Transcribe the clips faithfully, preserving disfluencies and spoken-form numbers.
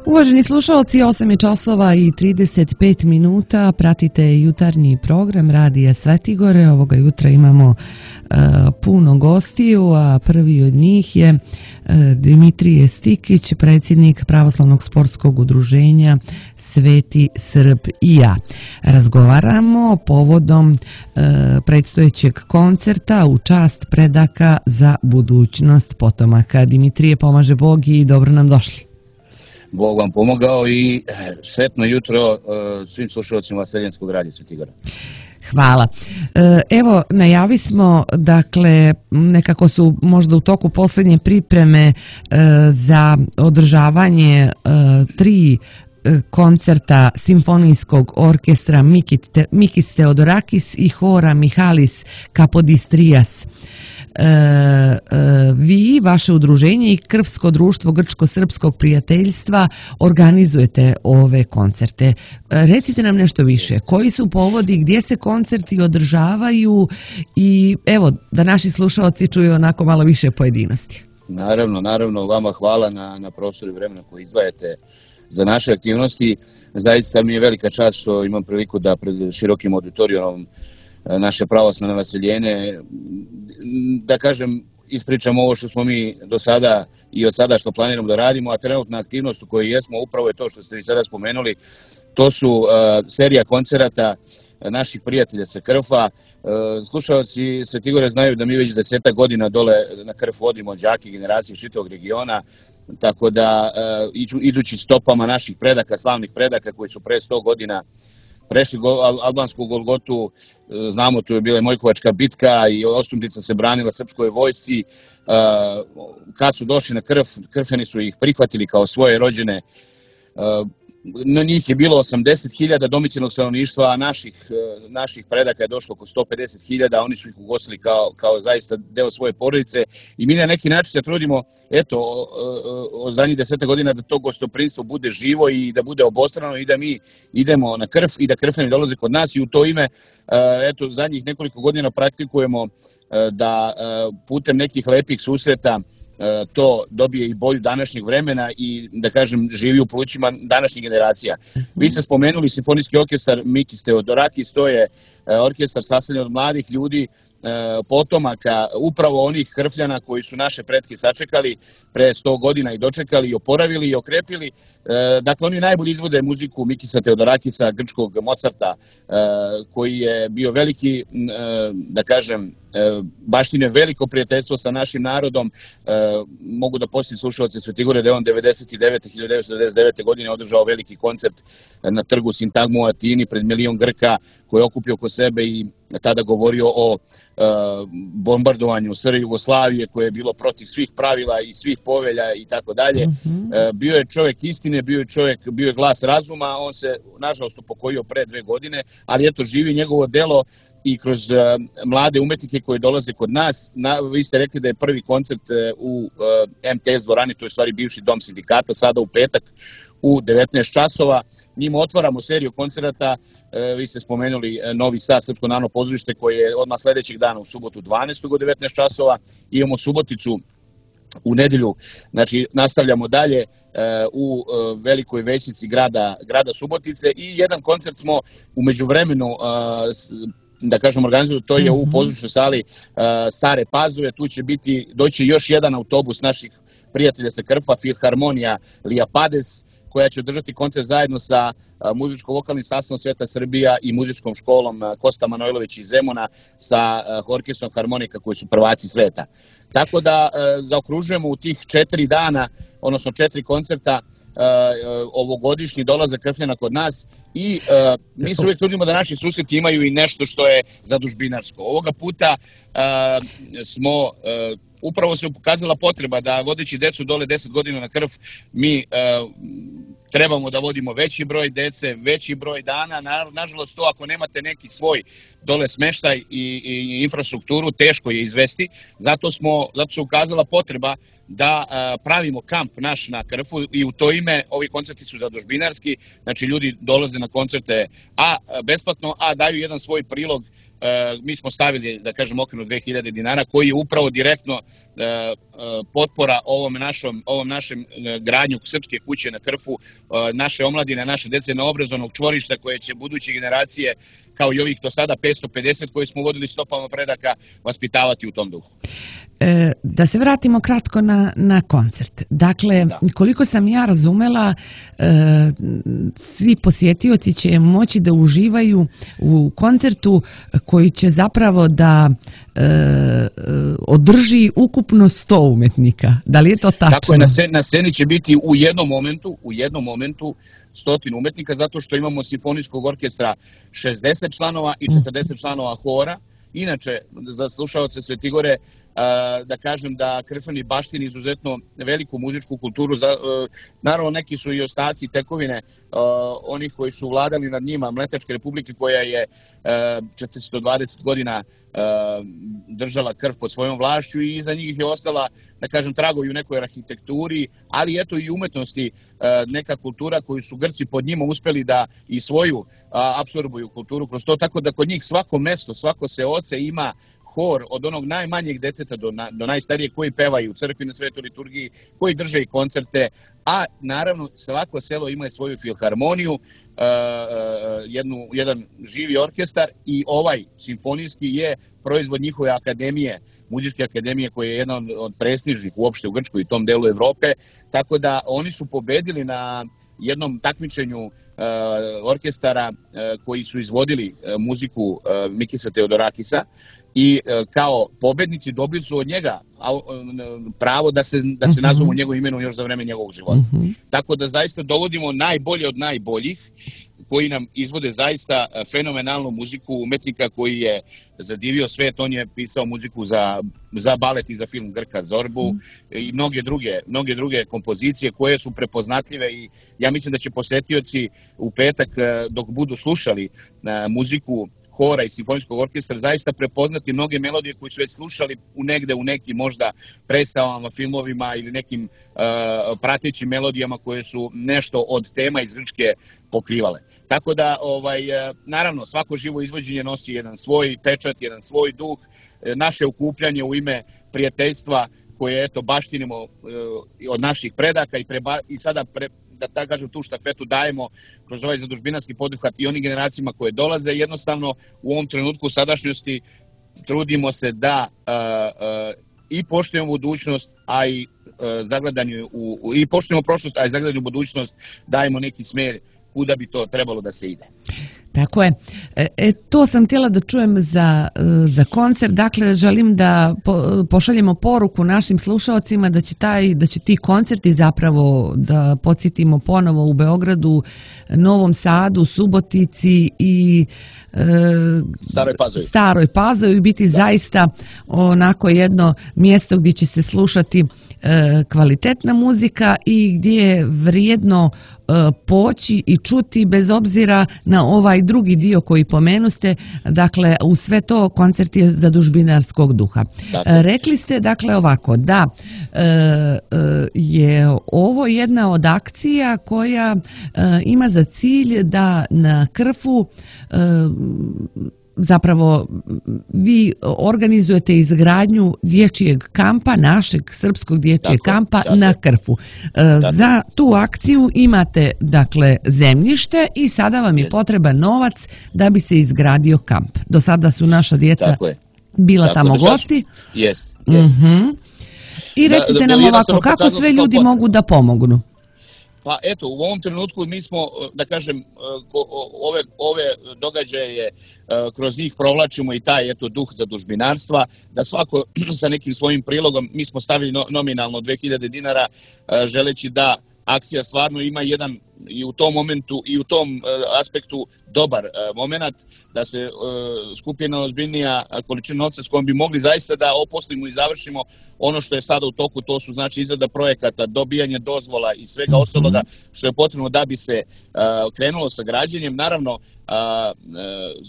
Uvaženi slušalci, osam je časova i trideset pet minuta, pratite jutarnji program Radija Svetigore. Ovoga jutra imamo uh, puno gostiju, a prvi od njih je uh, Dimitrije Stikić, predsjednik Pravoslavnog sportskog udruženja Sveti Srb i ja. Razgovaramo povodom uh, predstojećeg koncerta u čast predaka za budućnost potomaka. Dimitrije, pomaže Bog i dobro nam došli. Bog vam pomogao i sretno jutro svim slušalcima Seljenskog radija Svetigora. Hvala. Evo, najavi smo, dakle, nekako su možda u toku posljednje pripreme za održavanje tri koncerta simfonijskog orkestra Mikis Theodorakis i hora Mihalis Kapodistrijas. E, e, vi, vaše udruženje i Krvsko društvo Grčko-srpskog prijateljstva organizujete ove koncerte. E, recite nam nešto više. Koji su povodi, gdje se koncerti održavaju i evo, da naši slušalci čuju onako malo više pojedinosti. Naravno, naravno, vama hvala na, na prostoru i vremena koji izdvajate za naše aktivnosti. Zaista mi je velika čast što imam priliku da pred širokim auditorijom naše pravoslavne vaseljene, da kažem, ispričamo ovo što smo mi do sada i od sada što planiramo da radimo, a trenutna aktivnost u kojoj jesmo upravo je to što ste vi sada spomenuli. To su uh, serija koncerata naših prijatelja sa Krfa. Uh, slušalci Svetigore znaju da mi već desetak godina dole na Krf vodimo đake generacije čitavog regiona, tako da uh, idući stopama naših predaka, slavnih predaka koji su pre sto godina prešli albansku Golgotu, znamo, tu je bila Mojkovačka bitka i Ostumtica se branila srpskoj vojsci. Kad su došli na Krf, Krfjani su ih prihvatili kao svoje rođene. Na njih je bilo osamdeset hiljada domicilnog stanovništva, a naših, naših predaka je došlo oko sto pedeset hiljada, oni su ih ugostili kao, kao zaista deo svoje porodice i mi na neki način se trudimo, eto, o zadnjih deseta godina da to gostoprinstvo bude živo i da bude obostrano i da mi idemo na Krf i da Krfjani dolaze kod nas i u to ime, eto, zadnjih nekoliko godina praktikujemo da putem nekih lepih susreta to dobije i boju današnjeg vremena i, da kažem, živi u plućima današnjih generacija. Vi ste spomenuli simfonijski orkestar Mikis Theodorakis, to je orkestar sastavljen od mladih ljudi, potomaka upravo onih Krfljana koji su naše pretke sačekali pre sto godina i dočekali i oporavili i okrepili. Dakle, oni najbolje izvode muziku Mikisa Theodorakisa, grčkog Mozarta, koji je bio veliki, da kažem, baštine veliko prijateljstvo sa našim narodom. Mogu da posjetim slušalce Svetigore da je on devedeset devete. hiljadu devetsto devedeset devete. godine održao veliki koncert na trgu Sintagmu u Atini pred milion Grka koji je okupio oko sebe i tada govorio o bombardovanju S R Jugoslavije koje je bilo protiv svih pravila i svih povelja i tako dalje. Bio je čovjek istine, bio je čovjek, bio je glas razuma, on se nažalost upokojio pre dve godine, ali eto, živi njegovo delo i kroz uh, mlade umetnike koji dolaze kod nas. Na, vi ste rekli da je prvi koncert uh, u uh, M T S dvorani, to je stvari bivši dom sindikata, sada u petak u devetnaest časova. Njima otvaramo seriju koncerata, uh, vi ste spomenuli uh, Novi Sad, Srpsko narodno pozorište, koje je odmah sljedećeg dana u subotu dvanaestog u devetnaest časova. Imamo Suboticu u nedelju, znači nastavljamo dalje uh, u uh, velikoj većnici grada, grada Subotice i jedan koncert smo u međuvremenu uh, da kažem organizuju, to je u pozorišnoj sali uh, Stare Pazove. Tu će biti, doći još jedan autobus naših prijatelja sa Krfa, Filharmonija Liapades, koja će održati koncert zajedno sa uh, muzičko-vokalnim sastavom Sveta Srbija i muzičkom školom uh, Kosta Manojlović iz Zemuna sa uh, orkestrom harmonika koji su prvaci sveta. Tako da uh, zaokružujemo u tih četiri dana, odnosno četiri koncerta, uh, ovogodišnji dolazak Krfljana kod nas i uh, mi se uvijek trudimo da naši susreti imaju i nešto što je zadužbinarsko. Ovoga puta uh, smo uh, upravo se pokazala potreba da vodeći decu dole deset godina na Krf, mi uh, trebamo da vodimo veći broj dece, veći broj dana. Na, nažalost, to ako nemate neki svoj dole smeštaj i, i infrastrukturu, teško je izvesti. Zato, smo, zato se ukazala potreba da uh, pravimo kamp naš na Krfu i u to ime ovi koncerti su zadužbinarski. Znači, ljudi dolaze na koncerte a besplatno, a daju jedan svoj prilog mi smo stavili, da kažem, okvirno dve hiljade dinara, koji je upravo direktno potpora ovom našom, ovom našem gradnju Srpske kuće na Krfu, naše omladine, naše dece na obrazovnog čvorišta koje će buduće generacije, kao i ovih do sada petsto pedeset koje smo vodili stopama predaka, vaspitavati u tom duhu. E, da se vratimo kratko na, na koncert. Dakle, da. Koliko sam ja razumela, e, svi posjetioci će moći da uživaju u koncertu koji će zapravo da e, održi ukupno sto umetnika. Da li je to tačno? Tako je, na sceni, na sceni će biti u jednom momentu, u jednom momentu stotinu umetnika, zato što imamo simfonijskog orkestra šezdeset članova i četrdeset članova hora. Inače, za slušaoce Svetigore, da kažem da Krfani baštini izuzetno veliku muzičku kulturu. Naravno, neki su i ostaci i tekovine onih koji su vladali nad njima, Mletačke republike koja je četiristo dvadeset godina držala Krf pod svojom vlašću i iza njih je ostala, da kažem, tragovi u nekoj arhitekturi, ali eto i umetnosti, neka kultura koju su Grci pod njima uspeli da i svoju apsorbuju kulturu kroz to, tako da kod njih svako mesto, svako seoce ima hor od onog najmanjeg deteta do, na, do najstarijeg koji pevaju u crkvi na svetoj liturgiji, koji drže i koncerte, a naravno svako selo ima svoju filharmoniju, uh, jednu, jedan živi orkestar i ovaj simfonijski je proizvod njihove akademije, muzičke akademije koja je jedna od, od prestižnih uopšte u Grčkoj i tom delu Evrope, tako da oni su pobedili na jednom takmičenju uh, orkestara uh, koji su izvodili uh, muziku uh, Mikisa Teodorakisa i uh, kao pobednici dobili su od njega uh, pravo da se, da se nazovu njegovim imenom još za vreme njegovog života. Uh-huh. Tako da zaista dovodimo najbolje od najboljih koji nam izvode zaista fenomenalnu muziku umetnika koji je zadivio svet. On je pisao muziku za, za balet i za film Grka Zorbu mm. i mnoge druge, mnoge druge kompozicije koje su prepoznatljive i ja mislim da će posetioci u petak dok budu slušali muziku hora i simfonijskog orkestra zaista prepoznati mnoge melodije koje su već slušali u negde u nekim možda predstavama, filmovima ili nekim uh, pratećim melodijama koje su nešto od tema iz Grčke pokrivale. Tako da, ovaj, naravno, svako živo izvođenje nosi jedan svoj pečat, jedan svoj duh, naše okupljanje u ime prijateljstva koje, eto, baštinimo uh, od naših predaka i, preba, i sada pre, da tako kažem, tu štafetu dajemo kroz ovaj zadužbinarski poduhvat i onim generacijama koje dolaze. Jednostavno, u ovom trenutku u sadašnjosti trudimo se da uh, uh, i poštujemo budućnost, a i uh, zagledanju u, u, i poštujemo prošlost, a i zagledanju u budućnost dajemo neki smer kuda bi to trebalo da se ide. Tako je. E, to sam htjela da čujem za, za koncert. Dakle, želim da po, pošaljemo poruku našim slušalcima da će, taj, da će ti koncerti zapravo, da podsjetimo ponovo u Beogradu, Novom Sadu, Subotici i e, Staroj Pazovi. Staroj Pazovi biti da. Zaista onako jedno mjesto gdje će se slušati e, kvalitetna muzika i gdje je vrijedno poći i čuti bez obzira na ovaj drugi dio koji pomenuste, dakle u sve to koncert je zadužbinarskog duha. Dakle. Rekli ste dakle ovako da e, je ovo jedna od akcija koja e, ima za cilj da na Krfu e, zapravo vi organizujete izgradnju dječjeg kampa, našeg srpskog dječjeg tako, kampa tako, na Krfu. Tako. Za tu akciju imate dakle zemljište i sada vam je yes. potreban novac da bi se izgradio kamp. Do sada su naša djeca bila tako, tamo gosti. Jest, jest. Uh-huh. I recite da, da, nam ovako, kako sve ljudi potrebno. Mogu da pomognu? Pa eto, u ovom trenutku mi smo, da kažem, ove, ove događaje kroz njih provlačimo i taj eto duh zadužbinarstva, da svako sa nekim svojim prilogom, mi smo stavili nominalno dve hiljade dinara, želeći da akcija stvarno ima jedan i u tom momentu i u tom uh, aspektu dobar uh, moment, da se uh, skupi jedna ozbiljnija količina novca s kojom bi mogli zaista da oposlimo i završimo ono što je sada u toku, to su znači izrada projekata, dobijanje dozvola i svega mm-hmm. ostaloga što je potrebno da bi se uh, krenulo sa građenjem. Naravno, uh, uh,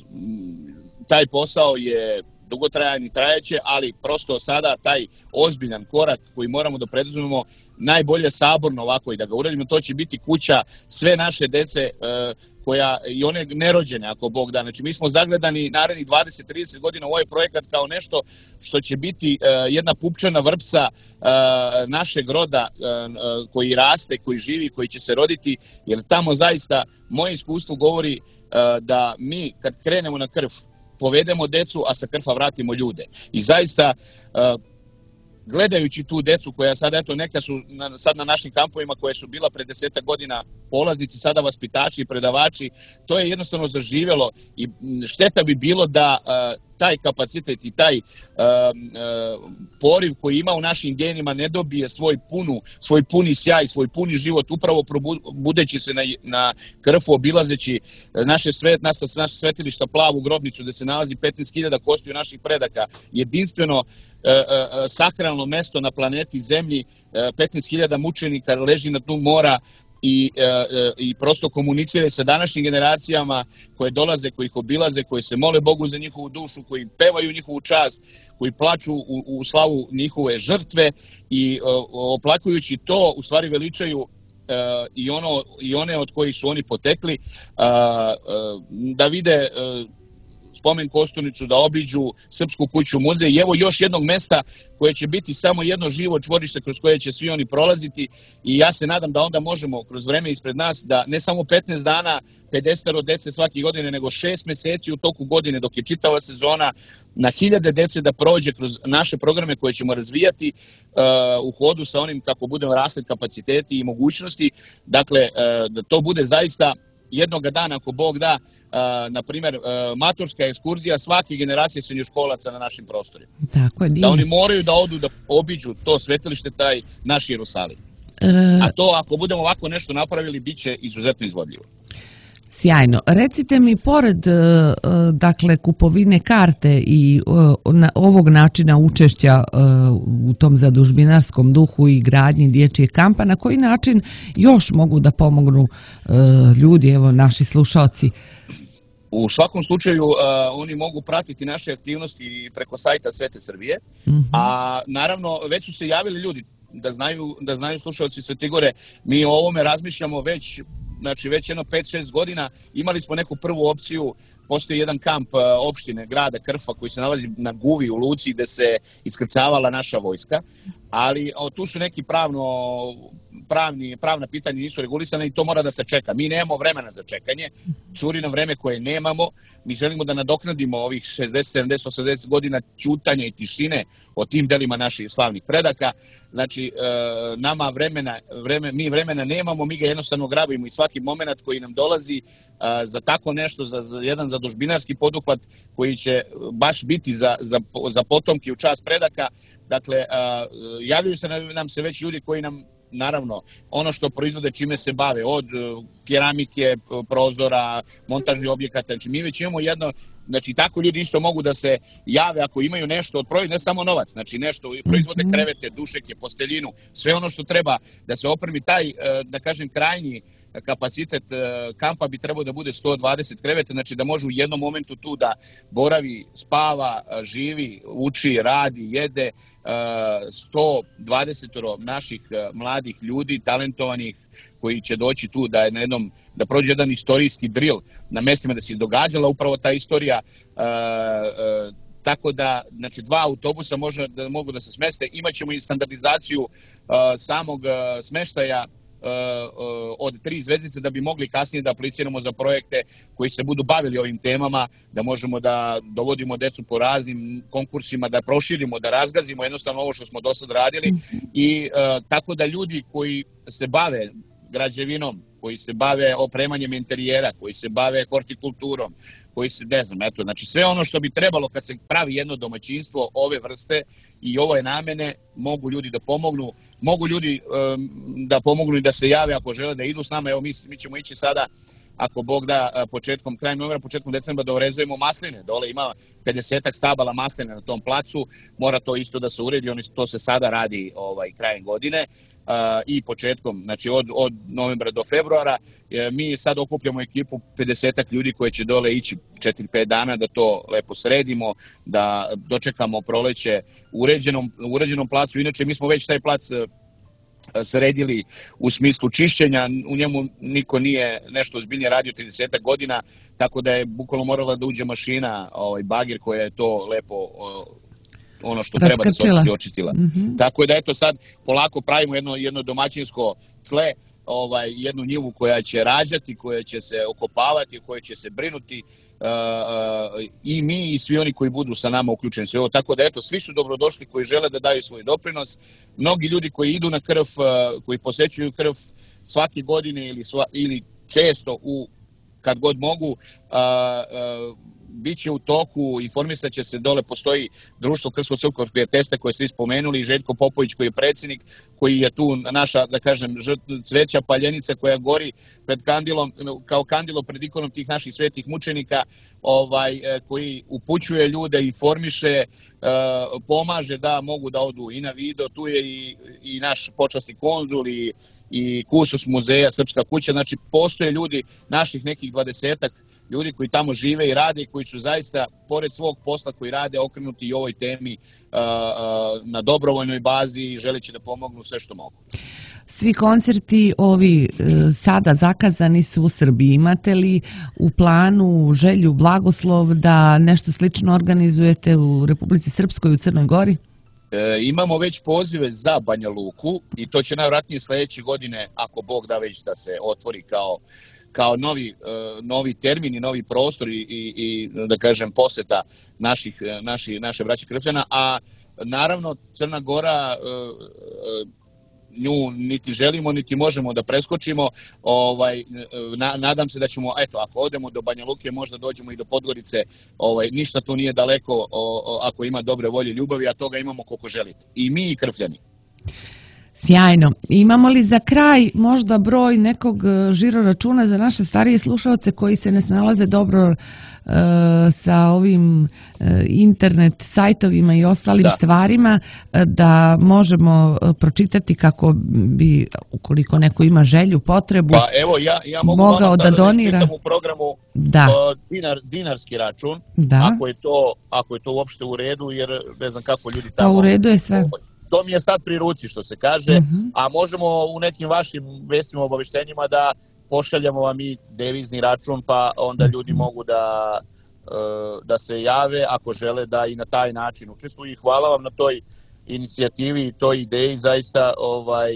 taj posao je dugotrajan i trajeće, ali prosto sada taj ozbiljan korak koji moramo da preduzmemo, najbolje saborno ovako i da ga uradimo, to će biti kuća sve naše dece uh, koja, i one nerođene, ako Bog da. Znači, mi smo zagledani narednih dvadeset do trideset godina u ovaj projekat kao nešto što će biti uh, jedna pupčana vrpca uh, našeg roda uh, koji raste, koji živi, koji će se roditi, jer tamo zaista moje iskustvo govori uh, da mi kad krenemo na krv, povedemo decu, a sa krfa vratimo ljude. I zaista, uh, gledajući tu decu koja sad, eto, neka su na, sad na našim kampovima koje su bila pre desetak godina polaznici, sada vaspitači i predavači, to je jednostavno zaživjelo i šteta bi bilo da uh, taj kapacitet i taj uh, uh, poriv koji ima u našim genima ne dobije svoj, punu, svoj puni sjaj, svoj puni život, upravo probudeći se na, na krfu, obilazeći naše, svet, naše, naše svetilišta, plavu grobnicu gde se nalazi petnaest hiljada kostiju naših predaka, jedinstveno Uh, uh, sakralno mesto na planeti Zemlji, uh, petnaest hiljada mučenika leži na dnu mora i, uh, uh, i prosto komuniciraju sa današnjim generacijama koje dolaze, koji ih obilaze, koji se mole Bogu za njihovu dušu, koji pevaju njihovu čast, koji plaču u, u slavu njihove žrtve i uh, oplakujući to, u stvari veličaju uh, i, ono, i one od kojih su oni potekli, uh, uh, da vide uh, spomen kosturnicu, da obiđu Srpsku kuću muzej i evo još jednog mesta koje će biti samo jedno živo čvorište kroz koje će svi oni prolaziti i ja se nadam da onda možemo kroz vreme ispred nas da ne samo petnaest dana, pedeset dece svake godine, nego šest meseci u toku godine dok je čitava sezona na hiljade dece da prođe kroz naše programe koje ćemo razvijati uh, u hodu sa onim kako budemo rasli kapaciteti i mogućnosti. Dakle, uh, da to bude zaista jednog dana, ako Bog da, uh, na primjer, uh, maturska ekskurzija svake generacije srednjoškolaca na našim prostorima. Tako je, da oni moraju da odu da obiđu to svetilište, taj naš Jerusalim. E... A to, ako budemo ovako nešto napravili, bit će izuzetno izvodljivo. Sjajno. Recite mi, pored dakle kupovine karte i ovog načina učešća u tom zadužbinarskom duhu i gradnji dječjeg kampa, na koji način još mogu da pomognu ljudi, evo naši slušalci? U svakom slučaju uh, oni mogu pratiti naše aktivnosti preko sajta Svete Srbije, mm-hmm. a naravno već su se javili ljudi da znaju, da znaju slušalci Svetigore, mi o ovome razmišljamo već znači već jedno pet šest godina. Imali smo neku prvu opciju, postoji jedan kamp opštine grada Krfa koji se nalazi na Guvi u luci gde se iskrcavala naša vojska, ali o, tu su neki pravno, pravni, pravna pitanja nisu regulisana i to mora da se čeka. Mi nemamo vremena za čekanje, curi nam vreme koje nemamo, mi želimo da nadoknadimo ovih šezdeset, sedamdeset, osamdeset godina ćutanja i tišine o tim delima naših slavnih predaka. Znači, e, nama vremena, vreme, mi vremena nemamo, mi ga jednostavno grabimo i svaki moment koji nam dolazi e, za tako nešto, za, za jedan zadužbinarski poduhvat koji će baš biti za, za, za potomke u čast predaka. Dakle, e, javljaju se nam se već ljudi koji nam, naravno, ono što proizvode, čime se bave, od keramike, prozora, montažnih objekata, znači mi već imamo jedno, znači tako ljudi isto mogu da se jave ako imaju nešto od proizvoda, ne samo novac, znači nešto, proizvode krevete, dušeke, posteljinu, sve ono što treba da se opremi, taj, da kažem, krajnji kapacitet kampa bi trebao da bude sto dvadeset kreveta, znači da može u jednom momentu tu da boravi, spava, živi, uči, radi, jede sto dvadeset naših mladih ljudi, talentovanih, koji će doći tu da je na jednom, da prođe jedan istorijski drill na mestima da se događala upravo ta istorija. Uh, uh, tako da, znači, dva autobusa može da mogu da se smeste. Imaćemo i standardizaciju uh, samog uh, smeštaja uh, uh, od tri zvezdice da bi mogli kasnije da apliciramo za projekte koji se budu bavili ovim temama, da možemo da dovodimo decu po raznim konkursima, da proširimo, da razgazimo jednostavno ovo što smo do sad radili i uh, tako da ljudi koji se bave građevinom, koji se bave opremanjem interijera, koji se bave hortikulturom, koji se, ne znam, eto, znači sve ono što bi trebalo kad se pravi jedno domaćinstvo ove vrste i ove namene, mogu ljudi da pomognu, mogu ljudi um, da pomognu i da se jave ako žele da idu s nama. Evo mi, mi ćemo ići sada, ako Bog da, početkom, krajem novembra, početkom decembra da orezujemo masline. Dole ima pedesetak stabala masline na tom placu, mora to isto da se uredi, oni, to se sada radi ovaj, krajem godine uh, i početkom, znači od, od novembra do februara. E, mi sad okupljamo ekipu pedesetak ljudi koji će dole ići četiri pet dana da to lepo sredimo, da dočekamo proleće u uređenom, uređenom placu. Inače, mi smo već taj plac sredili u smislu čišćenja, u njemu niko nije nešto ozbiljnije radio trideset godina, tako da je bukvalno morala da uđe mašina, ovaj, bagir koja je to lepo ono što treba da se očisti, očistila. Mm-hmm. Tako da eto sad polako pravimo jedno, jedno domaćinsko tle, ovaj, jednu njivu koja će rađati, koja će se okopavati, koja će se brinuti uh, uh, i mi i svi oni koji budu sa nama uključeni sve ovo. Tako da eto, svi su dobrodošli koji žele da daju svoj doprinos. Mnogi ljudi koji idu na krv, uh, koji posećuju krv svake godine ili, sva, ili često u, kad god mogu, uh, uh, biće u toku, informisat će se, dole postoji društvo Krško-Crkvog prijateljstva koje ste spomenuli, Željko Popović koji je predsjednik, koji je tu naša, da kažem, cveća paljenica koja gori pred kandilom, kao kandilo pred ikonom tih naših svetih mučenika, ovaj, koji upućuje ljude, informiše, pomaže da mogu da odu i na video, tu je i, i naš počasni konzul i, i kustos muzeja Srpska kuća, znači postoje ljudi, naših nekih dvadesetak ljudi koji tamo žive i rade i koji su zaista, pored svog posla koji rade, okrenuti i ovoj temi uh, uh, na dobrovoljnoj bazi i želeći da pomognu sve što mogu. Svi koncerti ovi uh, sada zakazani su u Srbiji. Imate li u planu želju, blagoslov da nešto slično organizujete u Republici Srpskoj, u Crnoj Gori? E, imamo već pozive za Banja Luku i to će najvjerojatnije sljedeće godine, ako Bog da, već da se otvori kao kao novi, uh, novi termin i novi prostor i, i, i da kažem poseta naših, naši, naše braće Krfljana, a naravno Crna Gora uh, uh, nju niti želimo niti možemo da preskočimo, ovaj, na, nadam se da ćemo, eto, ako odemo do Banja Luke možda dođemo i do Podgorice, ovaj, ništa tu nije daleko o, o, ako ima dobre volje, ljubavi, a toga imamo koliko želite. I mi i Krfljani. Sjajno. Imamo li za kraj možda broj nekog žiro računa za naše starije slušalce koji se ne snalaze dobro uh, sa ovim uh, internet sajtovima i ostalim da. stvarima, uh, da možemo uh, pročitati kako bi, ukoliko neko ima želju, potrebu, pa, evo, ja, ja mogu mogao da donira u programu da. uh, dinar, dinarski račun, da. ako je to ako je to uopšte u redu, jer ne znam kako ljudi tamo... Pa u redu je sve. To mi je sad pri ruci, što se kaže, uh-huh. a možemo u nekim vašim vestima, obaveštenjima da pošaljamo vam i devizni račun, pa onda ljudi mogu da, da se jave ako žele da i na taj način učestvuju. I hvala vam na toj inicijativi i toj ideji, zaista ovaj,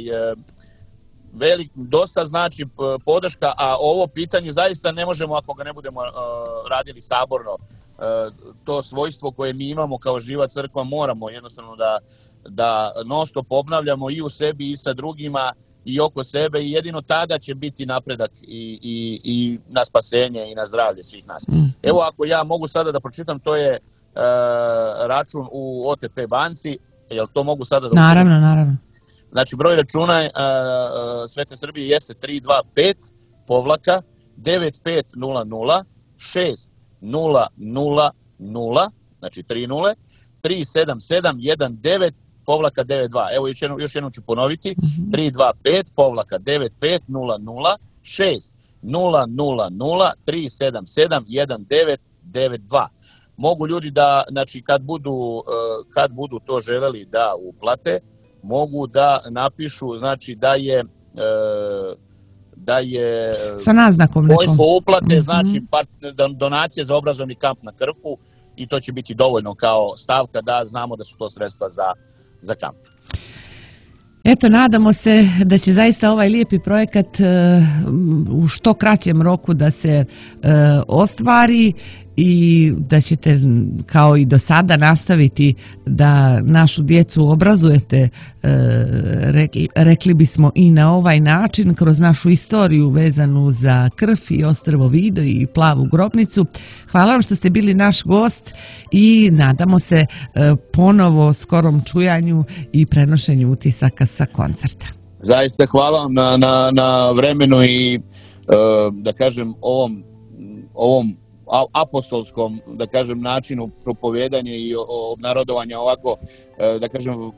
velik, dosta znači podrška, a ovo pitanje zaista ne možemo ako ga ne budemo radili saborno. To svojstvo koje mi imamo kao živa crkva moramo jednostavno da da non stop obnavljamo i u sebi i sa drugima i oko sebe i jedino tada će biti napredak i, i, i na spasenje i na zdravlje svih nas. Evo ako ja mogu sada da pročitam, to je e, račun u O T P banci, jel to mogu sada da... Naravno, naravno. Znači broj računa e, Svete Srbije jeste tri dva pet povlaka devet pet nula nula šest nula nula nula, znači tri nule, tri sedam sedam jedan devet povlaka devet dva. Evo još jednom, još jednom ću ponoviti. Mm-hmm. tri dva pet povlaka devet pet nula nula šest nula nula nula tri sedam sedam jedan devet devet dva. Mogu ljudi da, znači kad budu, kad budu to želeli da uplate, mogu da napišu, znači da je da je sa naznakom nekom uplate, mm-hmm. znači donacije za obrazovni kamp na Krfu i to će biti dovoljno kao stavka da znamo da su to sredstva za za kamp. Eto, nadamo se da će zaista ovaj lijepi projekat uh, u što kraćem roku da se uh, ostvari i da ćete kao i do sada nastaviti da našu djecu obrazujete, uh, rekli, rekli bismo i na ovaj način kroz našu istoriju vezanu za krv i ostrvo Vido i plavu grobnicu. Hvala vam što ste bili naš gost i nadamo se uh, ponovo skorom čujanju i prenošenju utisaka sa koncerta. Zaista hvala vam na, na, na vremenu i uh, da kažem ovom, ovom apostolskom, da kažem, načinu propovijedanja i obnarodovanja ovako, da kažem,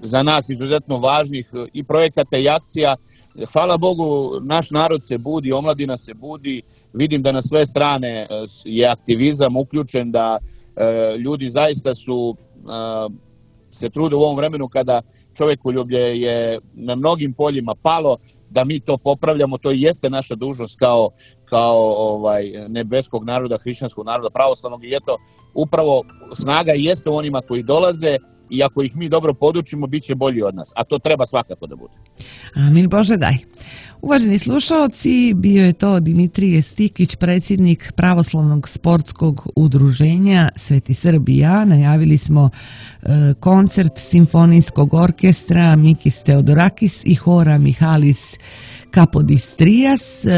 za nas izuzetno važnih i projekata i akcija. Hvala Bogu, naš narod se budi, omladina se budi, vidim da na sve strane je aktivizam uključen, da ljudi zaista su se trude u ovom vremenu kada čovjekoljublje je na mnogim poljima palo, da mi to popravljamo. To i jeste naša dužnost kao, kao ovaj, nebeskog naroda, hrišćanskog naroda, pravoslavnog, i eto, upravo snaga jeste u onima koji dolaze, i ako ih mi dobro podučimo, bit će bolji od nas, a to treba svakako da bude. Amin, Bože daj. Uvaženi slušaoci, bio je to Dimitrije Stikić, predsjednik Pravoslavnog sportskog udruženja Sveti Srbija. Najavili smo e, koncert simfonijskog orkestra Mikis Theodorakis i hora Mihalis Kapodistrias e,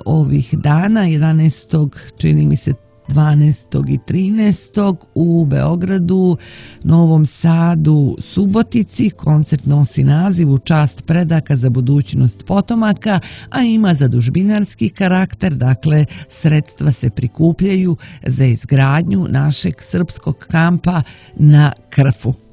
ovih dana, jedanaestog čini mi se dvanaestog i trinaestog u Beogradu, Novom Sadu, Subotici. Koncert nosi naziv U čast predaka za budućnost potomaka, a ima zadužbinarski karakter, dakle sredstva se prikupljaju za izgradnju našeg srpskog kampa na Krfu.